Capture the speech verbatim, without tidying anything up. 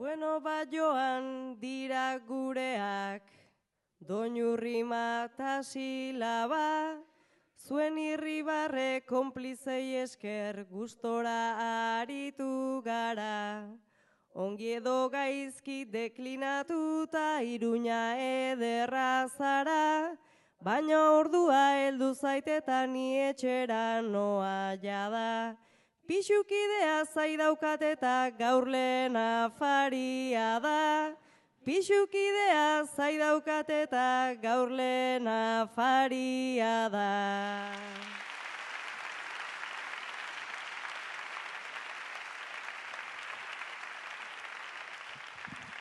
Bueno, bat joan dira gureak, doinurrima eta silaba, zuen irribarre konplizei esker gustora aritu gara. Ongi edo gaizki deklinatuta Iruña ederra zara, baina ordua heldu zaiteta ni etxera noa jada. Pixukidea zai daukat eta gaur lehen afaria da. Pixukidea zai daukat eta gaur lehen afaria da.